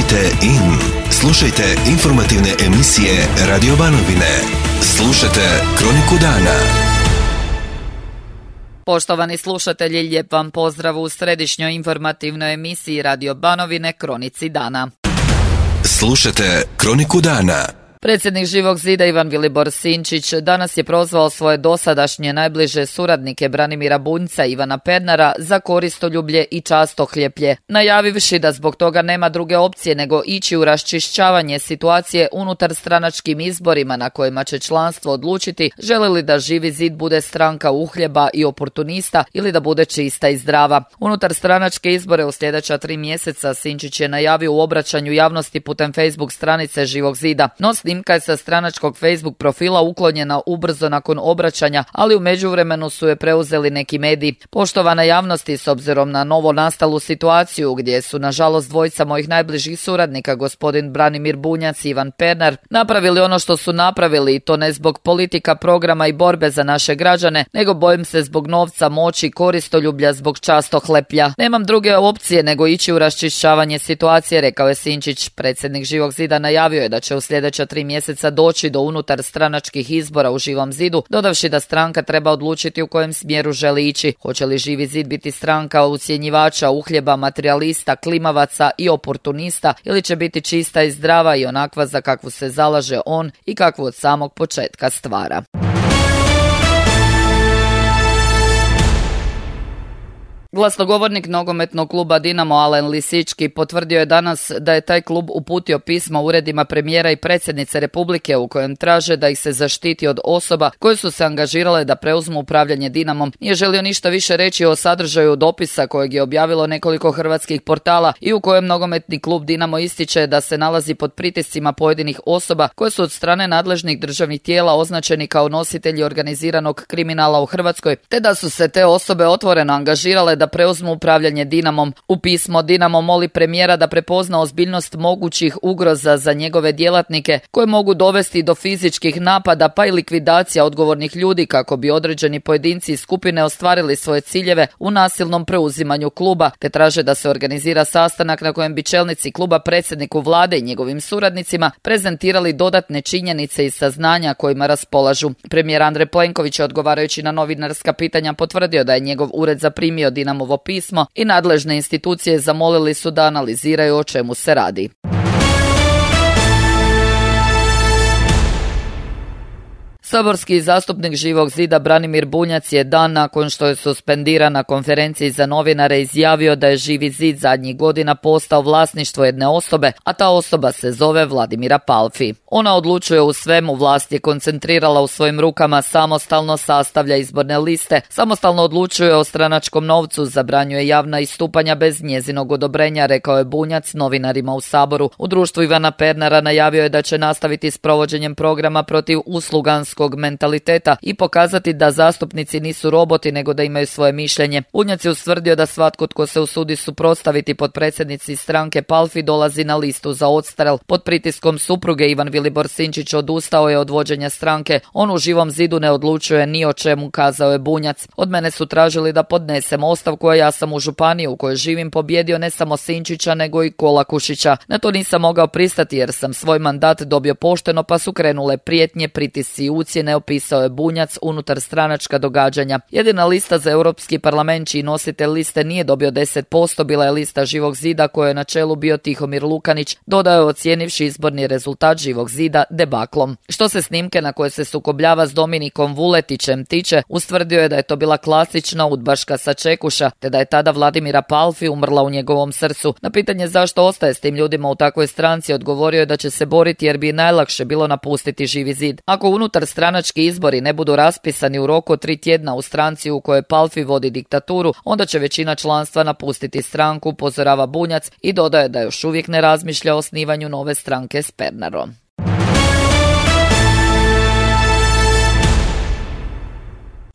Kliknite in. Slušajte informativne emisije Radio Banovine. Slušajte Kroniku dana. Poštovani slušatelji, lijep vam pozdrav u središnjoj informativnoj emisiji Radio Banovine Kronici dana. Slušajte Kroniku dana. Predsjednik Živog zida Ivan Vilibor Sinčić danas je prozvao svoje dosadašnje najbliže suradnike Branimira Bunjca i Ivana Pernara za koristoljublje i častohljeplje, najavivši da zbog toga nema druge opcije nego ići u raščišćavanje situacije unutar stranačkim izborima na kojima će članstvo odlučiti želi li da Živi zid bude stranka uhljeba i oportunista ili da bude čista i zdrava. Unutar stranačke izbore u sljedeća 3 mjeseca Sinčić je najavio u obraćanju javnosti putem Facebook stranice Živog zida. No snimka je sa stranačkog Facebook profila uklonjena ubrzo nakon obraćanja, ali u međuvremenu su je preuzeli neki mediji. Poštovana javnosti, s obzirom na novo nastalu situaciju gdje su nažalost dvojica mojih najbližih suradnika, gospodin Branimir Bunjac i Ivan Pernar, napravili ono što su napravili i to ne zbog politika, programa i borbe za naše građane, nego bojim se zbog novca, moći, koristoljublja, zbog častohleplja. Nemam druge opcije nego ići u raščišćavanje situacije, rekao je Sinčić. Predsjednik Živog zida najavio je da će u sljedeća 3 mjeseca doći do unutar stranačkih izbora u Živom zidu, dodavši da stranka treba odlučiti u kojem smjeru želi ići. Hoće li Živi zid biti stranka ucjenjivača, uhljeba, materijalista, klimavaca i oportunista ili će biti čista i zdrava i onakva za kakvu se zalaže on i kakvu od samog početka stvara. Glasnogovornik nogometnog kluba Dinamo Alen Lisički potvrdio je danas da je taj klub uputio pismo uredima premijera i predsjednice Republike u kojem traže da ih se zaštiti od osoba koje su se angažirale da preuzmu upravljanje Dinamom. Nije želio ništa više reći o sadržaju dopisa kojeg je objavilo nekoliko hrvatskih portala i u kojem nogometni klub Dinamo ističe da se nalazi pod pritiscima pojedinih osoba koje su od strane nadležnih državnih tijela označeni kao nositelji organiziranog kriminala u Hrvatskoj, te da su se te osobe otvoreno angažirale da preuzmu upravljanje Dinamom. U pismo Dinamo moli premijera da prepozna ozbiljnost mogućih ugroza za njegove djelatnike koje mogu dovesti do fizičkih napada pa i likvidacija odgovornih ljudi kako bi određeni pojedinci i skupine ostvarili svoje ciljeve u nasilnom preuzimanju kluba, te traže da se organizira sastanak na kojem bi čelnici kluba predsjedniku vlade i njegovim suradnicima prezentirali dodatne činjenice i saznanja kojima raspolažu. Premijer Andrej Plenković je odgovarajući na novinarska pitanja potvrdio da je njegov ured zaprimio Dinamovo pismo i nadležne institucije zamolili su da analiziraju o čemu se radi. Saborski zastupnik Živog zida Branimir Bunjac je dan nakon što je suspendiran na konferenciji za novinare izjavio da je Živi zid zadnjih godina postao vlasništvo jedne osobe, a ta osoba se zove Vladimira Palfi. Ona odlučuje u svemu, vlast je koncentrirala u svojim rukama, samostalno sastavlja izborne liste, samostalno odlučuje o stranačkom novcu, zabranjuje javna istupanja bez njezinog odobrenja, rekao je Bunjac novinarima u Saboru. U društvu Ivana Pernara najavio je da će nastaviti s provođenjem programa protiv usluganskog mentaliteta i pokazati da zastupnici nisu roboti nego da imaju svoje mišljenje. Bunjac je ustvrdio da svatko tko se usudi suprotstaviti potpredsjednici stranke Palfi dolazi na listu za odstrel. Pod pritiskom supruge Ivan Vilibor Sinčić odustao je od vođenja stranke. On u Živom zidu ne odlučuje ni o čemu, kazao je Bunjac. Od mene su tražili da podnesem ostavku, a ja sam u županiji u kojoj živim pobjedio ne samo Sinčića nego i Kolakušića. Na to nisam mogao pristati jer sam svoj mandat dobio pošteno pa su krenule prijetnje, pritisci i ucjene, opisao je Bunjac unutar stranačka događanja. Jedina lista za Europski parlament čiji nositelj liste nije dobio 10% bila je lista Živog zida koje je na čelu bio Tihomir Lukanić, dodao je ocijenivši izborni rezultat Živog zida debaklom. Što se snimke na koje se sukobljava s Dominikom Vuletićem tiče, ustvrdio je da je to bila klasična udbaška sačekuša, te da je tada Vladimira Palfi umrla u njegovom srcu. Na pitanje zašto ostaje s tim ljudima u takvoj stranci odgovorio je da će se boriti jer bi najlakše bilo napustiti Živi zid. Ako unutar stranački izbori ne budu raspisani u roku od 3 tjedna u stranci u kojoj Palfi vodi diktaturu, onda će većina članstva napustiti stranku, upozorava Bunjac i dodaje da još uvijek ne razmišlja o osnivanju nove stranke s Pernarom.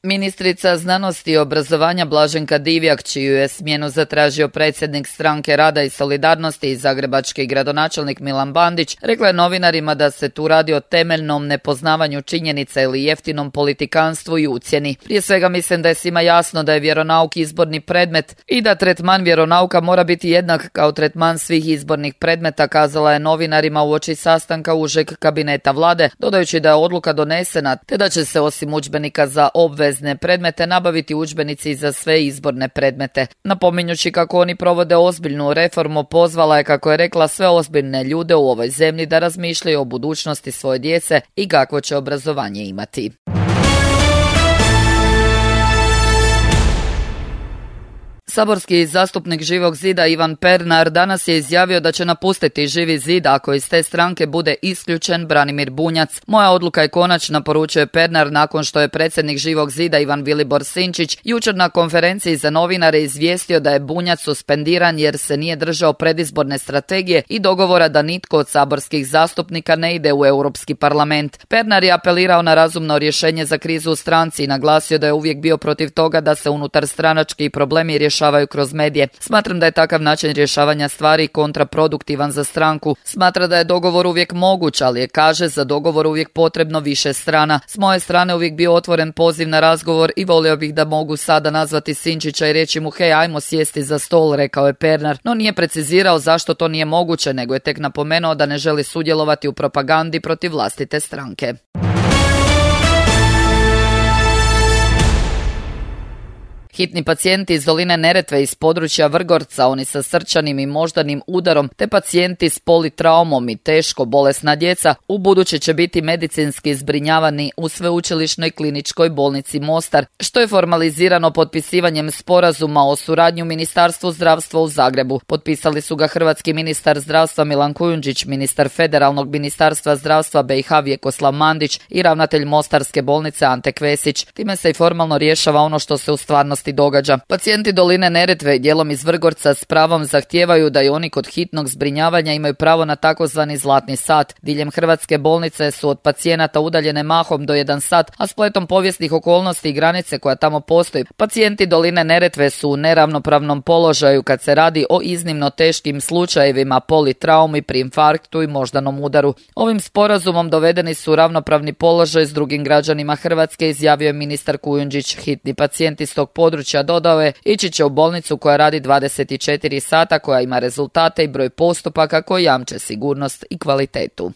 Ministrica znanosti i obrazovanja Blaženka Divjak, čiju je smjenu zatražio predsjednik Stranke rada i solidarnosti i zagrebački gradonačelnik Milan Bandić, rekla je novinarima da se tu radi o temeljnom nepoznavanju činjenica ili jeftinom politikanstvu i ucjeni. Prije svega mislim da je svima jasno da je vjeronauk izborni predmet i da tretman vjeronauka mora biti jednak kao tretman svih izbornih predmeta, kazala je novinarima uoči sastanka užeg kabineta vlade, dodajući da je odluka donesena te da će se osim udžbenika za obvezne predmete nabaviti udžbenici za sve izborne predmete. Napominjući kako oni provode ozbiljnu reformu, pozvala je, kako je rekla, sve ozbiljne ljude u ovoj zemlji da razmišljaju o budućnosti svoje djece i kakvo će obrazovanje imati. Saborski zastupnik Živog zida Ivan Pernar danas je izjavio da će napustiti Živi zid ako iz te stranke bude isključen Branimir Bunjac. Moja odluka je konačna, poručuje Pernar nakon što je predsjednik Živog zida Ivan Vilibor Sinčić jučer na konferenciji za novinare izvijestio da je Bunjac suspendiran jer se nije držao predizborne strategije i dogovora da nitko od saborskih zastupnika ne ide u Europski parlament. Pernar je apelirao na razumno rješenje za krizu u stranci i naglasio da je uvijek bio protiv toga da se unutar stranački problemi rješavaju kroz medije. Smatram da je takav način rješavanja stvari kontraproduktivan za stranku. Smatra da je dogovor uvijek moguć, ali je, kaže, za dogovor uvijek potrebno više strana. S moje strane uvijek bio otvoren poziv na razgovor i volio bih da mogu sada nazvati Sinčića i reći mu hej, ajmo sjesti za stol, rekao je Pernar, no nije precizirao zašto to nije moguće, nego je tek napomenuo da ne želi sudjelovati u propagandi protiv vlastite stranke. Hitni pacijenti iz doline Neretve iz područja Vrgorca, oni sa srčanim i moždanim udarom, te pacijenti s politraumom i teško bolesna djeca, ubuduće će biti medicinski zbrinjavani u Sveučilišnoj kliničkoj bolnici Mostar, što je formalizirano potpisivanjem sporazuma o suradnji u Ministarstvu zdravstva u Zagrebu. Potpisali su ga hrvatski ministar zdravstva Milan Kujundžić, ministar Federalnog ministarstva zdravstva BiH Vjekoslav Mandić i ravnatelj Mostarske bolnice Ante Kvesić. Time se i formalno rješava ono što se u stvarnosti događa. Pacijenti doline Neretve i dijelom iz Vrgorca s pravom zahtijevaju da i oni kod hitnog zbrinjavanja imaju pravo na takozvani zlatni sat. Diljem hrvatske bolnice su od pacijenata udaljene mahom do 1 sat, a spletom povijesnih okolnosti i granice koja tamo postoji, pacijenti doline Neretve su u neravnopravnom položaju kad se radi o iznimno teškim slučajevima politraumi pri infarktu i moždanom udaru. Ovim sporazumom dovedeni su u ravnopravni položaj s drugim građanima Hrvatske, izjavio je ministar Kujundžić. Hitni pacijenti s tog područja, dodao je, ići će u bolnicu koja radi 24 sata, koja ima rezultate i broj postupaka koji jamče sigurnost i kvalitetu.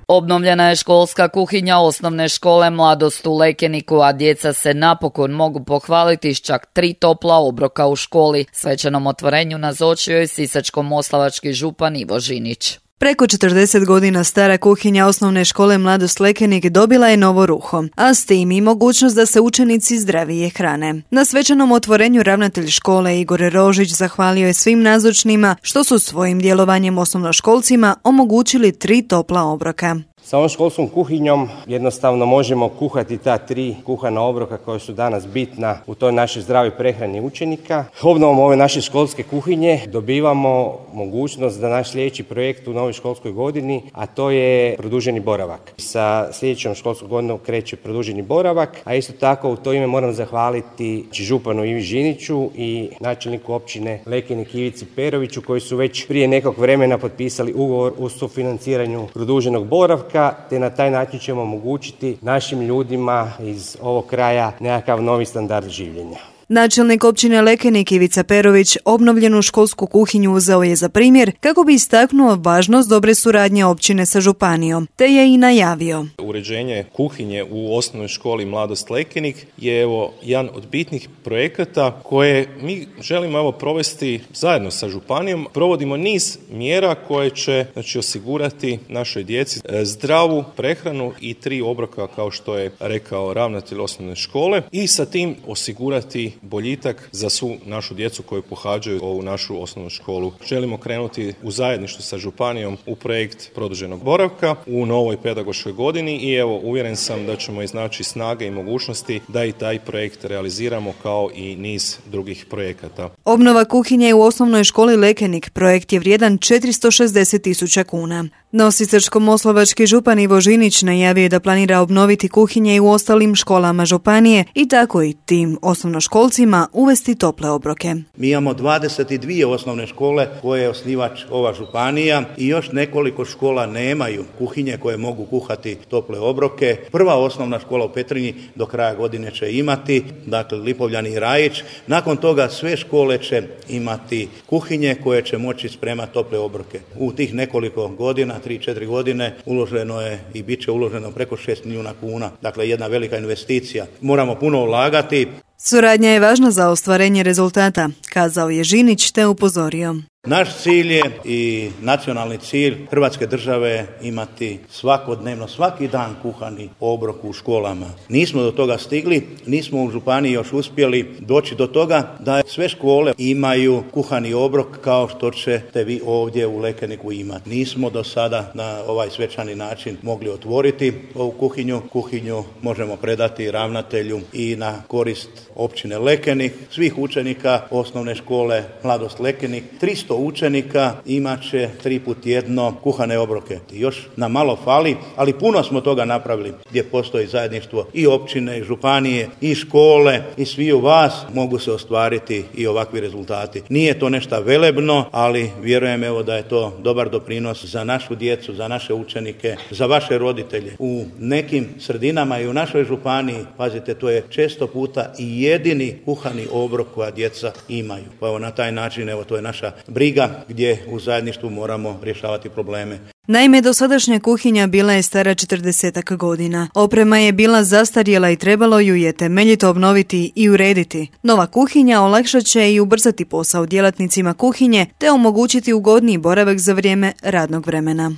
Obnovljena je školska kuhinja osnovne škole Mladost u Lekeniku, a djeca se napokon mogu pohvaliti s čak 3 topla obroka u školi. Svečanom otvorenju nazočio je sisačko-moslavački župan Ivo Žinić. Preko 40 godina stara kuhinja osnovne škole Mladost Lekenik dobila je novo ruho, a s tim i mogućnost da se učenici zdravije hrane. Na svečanom otvorenju ravnatelj škole Igor Rožić zahvalio je svim nazočnima što su svojim djelovanjem osnovnoškolcima omogućili 3 topla obroka. Sa ovom školskom kuhinjom jednostavno možemo kuhati ta 3 kuhana obroka koja su danas bitna u toj našoj zdravoj prehrani učenika. Obnovom ove naše školske kuhinje dobivamo mogućnost da naš sljedeći projekt u novoj školskoj godini, a to je produženi boravak. Sa sljedećom školskom godinom kreće produženi boravak, a isto tako u to ime moram zahvaliti županu Ivi Žiniću i načelniku općine Lekenik Ivici Peroviću, koji su već prije nekog vremena potpisali ugovor o sufinanciranju produženog boravka, te na taj način ćemo omogućiti našim ljudima iz ovog kraja nekakav novi standard življenja. Načelnik općine Lekenik Ivica Perović obnovljenu školsku kuhinju uzeo je za primjer kako bi istaknuo važnost dobre suradnje općine sa županijom, te je i najavio. Uređenje kuhinje u osnovnoj školi Mladost Lekenik je jedan od bitnih projekata koje mi želimo provesti zajedno sa županijom. Provodimo niz mjera koje će osigurati našoj djeci zdravu prehranu i 3 obroka, kao što je rekao ravnatelj osnovne škole, i sa tim osigurati boljitak za svu našu djecu koju pohađaju ovu našu osnovnu školu. Želimo krenuti u zajedništvu sa županijom u projekt produženog boravka u novoj pedagoškoj godini i uvjeren sam da ćemo iznaći snage i mogućnosti da i taj projekt realiziramo kao i niz drugih projekata. Obnova kuhinje u osnovnoj školi Lekenik projekt je vrijedan 460.000 kuna. No, sisačko-moslavački župan Ivo Žinić najavio da planira obnoviti kuhinje i u ostalim školama županije i tako i tim osnovnoškolcima uvesti tople obroke. Mi imamo 22 osnovne škole koje je osnivač ova županija i još nekoliko škola nemaju kuhinje koje mogu kuhati tople obroke. Prva osnovna škola u Petrinji do kraja godine će imati, dakle Lipovljani i Rajić. Nakon toga sve škole će imati kuhinje koje će moći spremati tople obroke. U tih nekoliko godina, 3-4 godine, uloženo je i bit će uloženo preko 6 milijuna kuna. Dakle, jedna velika investicija. Moramo puno ulagati. Suradnja je važna za ostvarenje rezultata, kazao je Žinić te upozorio. Naš cilj je i nacionalni cilj Hrvatske države imati svakodnevno, svaki dan kuhani obrok u školama. Nismo do toga stigli, nismo u županiji još uspjeli doći do toga da sve škole imaju kuhani obrok kao što ćete vi ovdje u Lekeniku imati. Nismo do sada na ovaj svečani način mogli otvoriti ovu kuhinju. Kuhinju možemo predati ravnatelju i na korist općine Lekenik, svih učenika osnovne škole Mladost Lekenik. 300 učenika imat će 3 puta tjedno kuhane obroke. Još nam malo fali, ali puno smo toga napravili gdje postoji zajedništvo i općine, i županije, i škole, i svi u vas mogu se ostvariti i ovakvi rezultati. Nije to nešto velebno, ali vjerujem evo da je to dobar doprinos za našu djecu, za naše učenike, za vaše roditelje. U nekim sredinama i u našoj županiji, pazite, to je često puta i jedini kuhani obrok koja djeca imaju. Pa evo na taj način, evo to je naša briga gdje u zajedništvu moramo rješavati probleme. Naime, dosadašnja kuhinja bila je stara 40 godina. Oprema je bila zastarjela i trebalo ju je temeljito obnoviti i urediti. Nova kuhinja olakšat će i ubrzati posao djelatnicima kuhinje te omogućiti ugodniji boravak za vrijeme radnog vremena.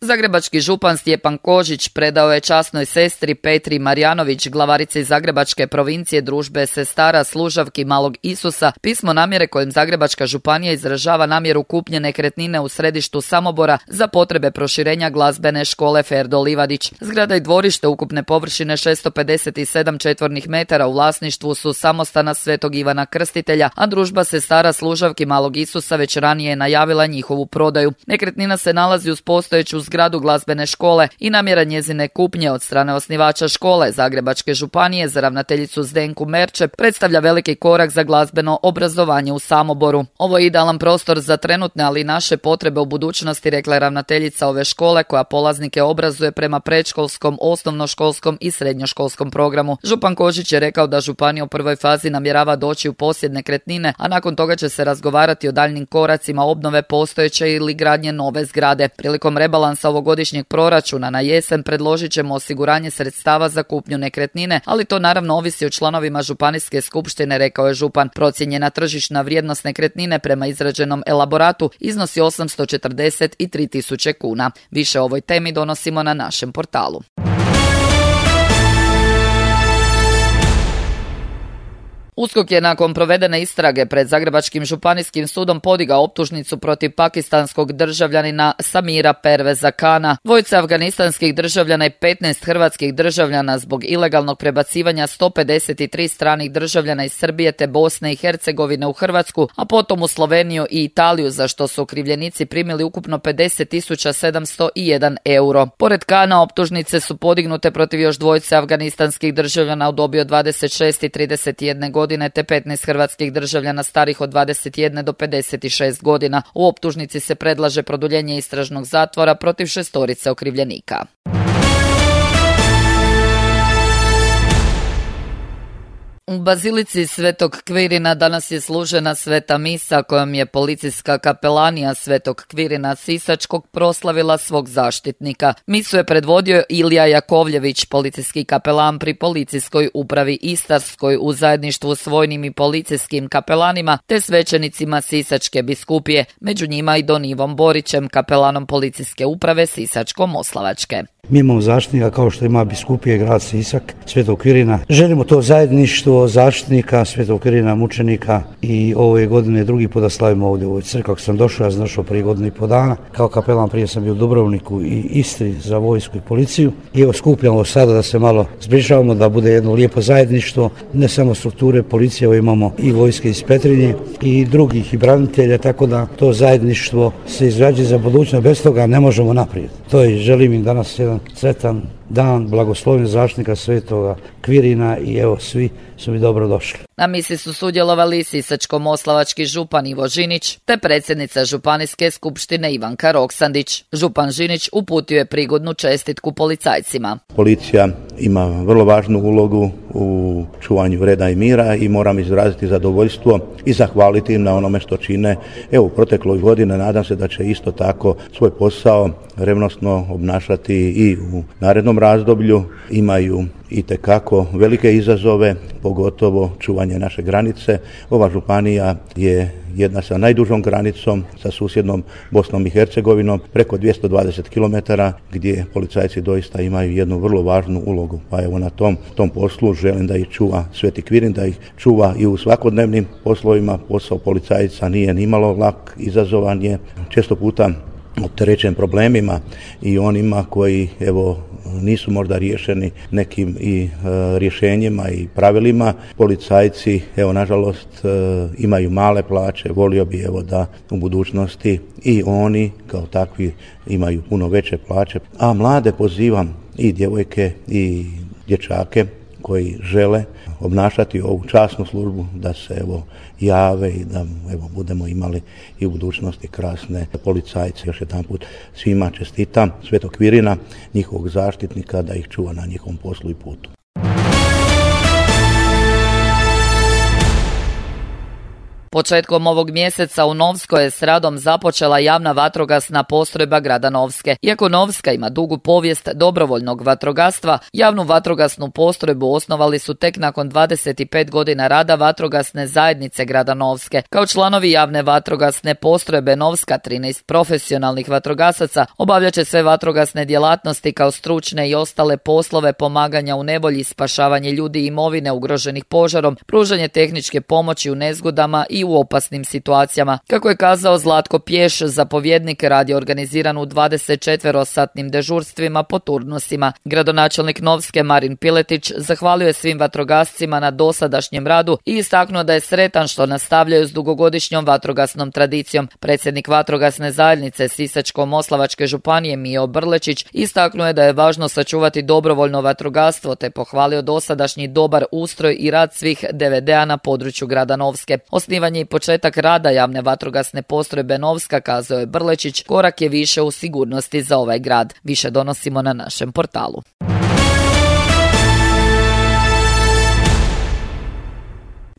Zagrebački župan Stjepan Kožić predao je časnoj sestri Petri Marjanović, glavarici Zagrebačke provincije Družbe sestara služavki Malog Isusa, pismo namjere kojim Zagrebačka županija izražava namjeru kupnje nekretnine u središtu Samobora za potrebe proširenja glazbene škole Ferdo Livadić. Zgrada i dvorište ukupne površine 657 četvornih metara u vlasništvu su samostana Svetog Ivana Krstitelja, a Družba sestara služavki Malog Isusa već ranije je najavila njihovu prodaju. Nekretnina se nalazi uz postojeću zgradu glazbene škole i namjera njezine kupnje od strane osnivača škole Zagrebačke županije za ravnateljicu Zdenku Merče predstavlja veliki korak za glazbeno obrazovanje u Samoboru. Ovo je idealan prostor za trenutne, ali i naše potrebe u budućnosti, rekla je ravnateljica ove škole koja polaznike obrazuje prema predškolskom, osnovnoškolskom i srednjoškolskom programu. Župan Kožić je rekao da županija u prvoj fazi namjerava doći u posjed nekretnine, a nakon toga će se razgovarati o daljnjim koracima obnove postojeće ili gradnje nove zgrade. Prilikom rebalansa ovogodišnjeg proračuna na jesen predložit ćemo osiguranje sredstava za kupnju nekretnine, ali to naravno ovisi o članovima županijske skupštine, rekao je župan. Procijenjena tržišna vrijednost nekretnine prema izrađenom elaboratu iznosi 843.000 kuna. Više o ovoj temi donosimo na našem portalu. USKOK je nakon provedene istrage pred Zagrebačkim županijskim sudom podigao optužnicu protiv pakistanskog državljanina Samira Perveza Kana, dvojice afganistanskih državljana i 15 hrvatskih državljana zbog ilegalnog prebacivanja 153 stranih državljana iz Srbije te Bosne i Hercegovine u Hrvatsku, a potom u Sloveniju i Italiju, za što su okrivljenici primili ukupno 50.701 euro. Pored Kana, optužnice su podignute protiv još dvojice afganistanskih državljana u dobi od 26 i 31 godine te 15 hrvatskih državljana starih od 21 do 56 godina. U optužnici se predlaže produljenje istražnog zatvora protiv 6 okrivljenika. U Bazilici Svetog Kvirina danas je služena sveta misa kojom je policijska kapelanija Svetog Kvirina Sisačkog proslavila svog zaštitnika. Misu je predvodio Ilija Jakovljević, policijski kapelan pri policijskoj upravi Istarskoj u zajedništvu s vojnim i policijskim kapelanima te svećenicima Sisačke biskupije, među njima i Don Ivom Borićem, kapelanom policijske uprave Sisačko-Moslavačke. Mi imamo zaštitnika kao što ima biskupije grad Sisak, Svetog Kvirina. Želimo to zajedništvo svojstvo zaštitnika Svetog Kirina mučenika i ove godine drugi put da slavimo ovdje u ovoj crkvi. Kako sam došao, ja sam došao prije 1,5 dana. Kao kapelan prije sam bio u Dubrovniku i Istri za vojsku i policiju. I evo skupljamo sada da se malo zbližavamo, da bude jedno lijepo zajedništvo, ne samo strukture policije, evo imamo i vojske iz Petrinje i drugih i branitelja, tako da to zajedništvo se izrađuje za budućnost, bez toga ne možemo naprijed. To je, želim im danas jedan sretan dan, blagoslovljen zaštitnika Svetoga Kvirina i evo svi su mi dobro došli. Na misi su sudjelovali sisačko-moslavački župan Ivo Žinić te predsjednica Županijske skupštine Ivanka Roksandić. Župan Žinić uputio je prigodnu čestitku policajcima. Policija ima vrlo važnu ulogu u čuvanju reda i mira i moram izraziti zadovoljstvo i zahvaliti im na onome što čine. Evo, u protekloj godini nadam se da će isto tako svoj posao revnosno obnašati i u narednom razdoblju. Imaju itekako velike izazove, pogotovo čuvanje naše granice. Ova županija je jedna sa najdužom granicom sa susjednom Bosnom i Hercegovinom, preko 220 km, gdje policajci doista imaju jednu vrlo važnu ulogu. Pa evo na tom poslu želim da ih čuva Sveti Kvirin, da ih čuva i u svakodnevnim poslovima. Posao policajca nije nimalo lak, izazovan je, često puta opterećen problemima i onima koji evo nisu možda riješeni nekim i rješenjima i pravilima. Policajci evo nažalost imaju male plaće, volio bi evo da u budućnosti i oni kao takvi imaju puno veće plaće, a mlade pozivam i djevojke i dječake koji žele obnašati ovu časnu službu da se evo jave i da evo budemo imali i u budućnosti krasne policajce. Još jedanput svima čestitam Svetog Kvirina, njihovog zaštitnika, da ih čuva na njihovom poslu i putu. Početkom ovog mjeseca u Novskoj je s radom započela javna vatrogasna postrojba grada Novske. Iako Novska ima dugu povijest dobrovoljnog vatrogastva, javnu vatrogasnu postrojbu osnovali su tek nakon 25 godina rada vatrogasne zajednice grada Novske. Kao članovi javne vatrogasne postrojbe Novska, 13 profesionalnih vatrogasaca obavljat će sve vatrogasne djelatnosti kao stručne i ostale poslove pomaganja u nevolji, spašavanje ljudi i imovine ugroženih požarom, pružanje tehničke pomoći u nezgodama i u opasnim situacijama. Kako je kazao Zlatko Pješ, zapovjednik, rad je organiziran u 24-satnim dežurstvima po turnusima. Gradonačelnik Novske Marin Piletić zahvalio je svim vatrogascima na dosadašnjem radu i istaknuo da je sretan što nastavljaju s dugogodišnjom vatrogasnom tradicijom. Predsjednik vatrogasne zajednice Sisačko-moslavačke županije Mijo Brlečić istaknuo je da je važno sačuvati dobrovoljno vatrogastvo te pohvalio dosadašnji dobar ustroj i rad svih DVD-a na području grada Novske. Osnivanje i početak rada javne vatrogasne postrojbe Novska, kazao je Brlečić, korak je više u sigurnosti za ovaj grad. Više donosimo na našem portalu.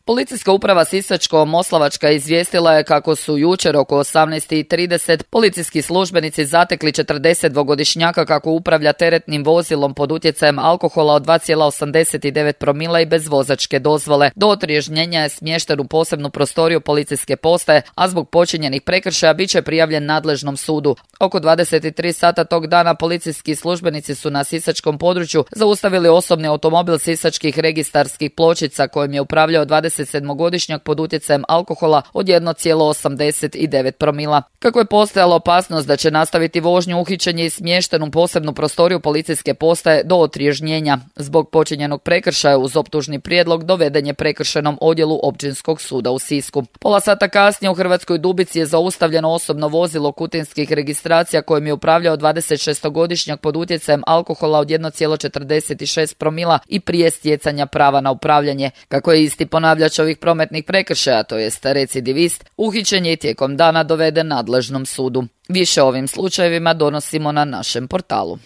Policijska uprava Sisačko-moslavačka izvijestila je kako su jučer oko 18:30 policijski službenici zatekli 42-godišnjaka kako upravlja teretnim vozilom pod utjecajem alkohola od 2,89 promila i bez vozačke dozvole. Do otriježnjenja je smješten u posebnu prostoriju policijske postaje, a zbog počinjenih prekršaja bit će prijavljen nadležnom sudu. Oko 23 sata tog dana policijski službenici su na sisačkom području zaustavili osobni automobil sisačkih registarskih pločica kojim je upravljao 27-godišnjak pod utjecajem alkohola od 1,89 promila. Kako je postojala opasnost da će nastaviti vožnju, uhićen je i smješten u posebnu prostoriju policijske postaje do otriježnjenja. Zbog počinjenog prekršaja uz optužni prijedlog doveden je prekršajnom odjelu Općinskog suda u Sisku. Pola sata kasnije u Hrvatskoj Dubici je zaustavljeno osobno vozilo kutinskih registracija kojim je upravljao 26-godišnjak pod utjecajem alkohola od 1,46 promila i prije stjecanja prava na upravljanje. Kako je isti ponavljač ovih prometnih prekršaja, to jest recidivist, uhićen je i tijekom dana doveden nadležnom sudu. Više o ovim slučajevima donosimo na našem portalu.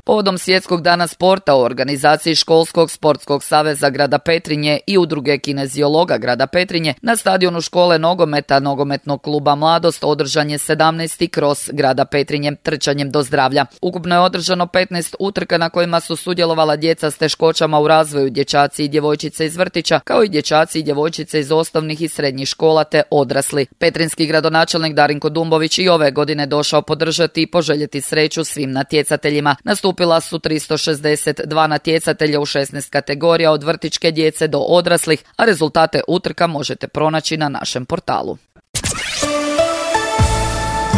Povodom Svjetskog dana sporta u organizaciji Školskog sportskog saveza grada Petrinje i udruge kineziologa grada Petrinje na stadionu škole nogometa Nogometnog kluba Mladost održan je 17. kros grada Petrinje trčanjem do zdravlja. Ukupno je održano 15 utrka na kojima su sudjelovala djeca s teškoćama u razvoju, dječaci i djevojčice iz vrtića, kao i dječaci i djevojčice iz osnovnih i srednjih škola te odrasli. Petrinjski gradonačelnik Darinko Dumbović i ove godine došao podržati i poželjeti sreću svim natjecateljima. Nastupio nastupila su 362 natjecatelja u 16 kategorija od vrtićke djece do odraslih, a rezultate utrka možete pronaći na našem portalu.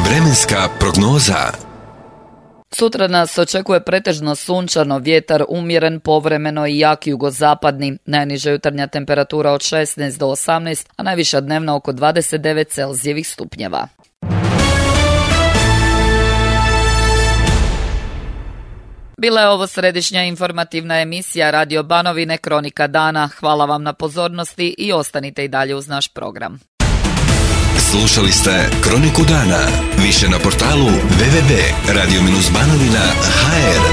Vremenska prognoza. Sutra nas očekuje pretežno sunčano, vjetar umjeren, povremeno i jak jugozapadni. Najniža jutarnja temperatura od 16 do 18, a najviša dnevna oko 29 Celzijevih stupnjeva. Bila je ovo središnja informativna emisija Radio Banovine Kronika dana. Hvala vam na pozornosti i ostanite i dalje uz naš program. Slušali ste Kroniku dana. Više na portalu www.radio-banovina.hr.